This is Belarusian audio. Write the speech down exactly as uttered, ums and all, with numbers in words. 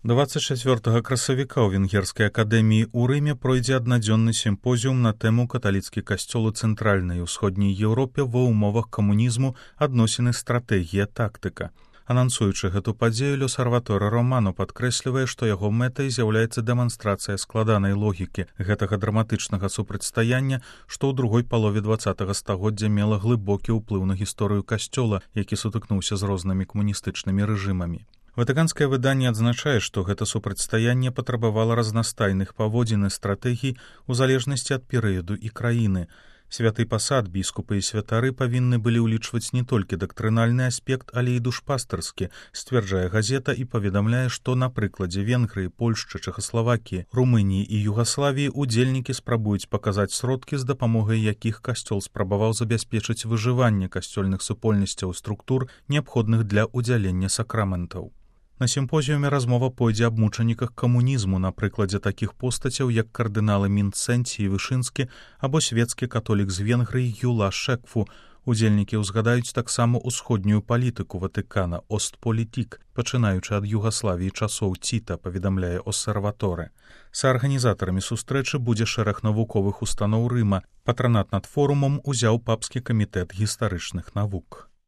дваццаць чацвёртага красавіка ў Венгерскай акадэміі ў Рыме пройдзе аднадзённы сімпозіум на тэму «Каталіцкі касцёл у цэнтральнай і ўсходняй Еўропе ва ўмовах камунізму, адносіны, стратэгія, тактыка». Анансуючы гэту падзею, L'Osservatore Romano падкрэслівае, што яго мэтай з'яўляецца дэманстрацыя складанай логікі гэтага драматычнага супрацьстаяння, што ў другой палове дваццатага стагоддзя мела глыбокі ўплыў на гісторыю касцёла, які сутыкнуўся з рознымі камуністычнымі рэжымамі. Ватыканскае выданне адзначае, што гэта супрацьстаянне патрабавала разнастайных паводзін і стратэгій у залежнасці ад перыяду і краіны. Святы пасад, біскупы і святары павінны былі ўлічваць не толькі дактрынальны аспект, але і душпастарскі, сцвярджае газета і паведамляе, што на прыкладзе Венгрыі, Польшчы, Чэхаславакіі, Румыніі і Югаславіі удзельнікі спрабуюць паказаць сродкі, з дапамогай якіх касцёл спрабаваў забяспечыць выжыванне касцёльных супольнасцяў і структур, неабходных для ўдзялення сакраментаў. На сімпозіуме размова пойдзе аб мучаніках камунізму на прыкладзе такіх постацяў, як кардыналы Мінцэнці і Вышынскі або свецкі католік з Венгрыі Юла Шекфу. Удзельнікі ўзгадаюць таксама ўсходнюю палітыку Ватыкана, Остполітік, пачынаючы ад Югаславіі часоў Ціта, паведамляе Osservatore. Саарганізатарамі сустрэчы будзе шэраг навуковых устаноў Рыма. Патранат над форумам узяў папскі камітэт гістарычных навук.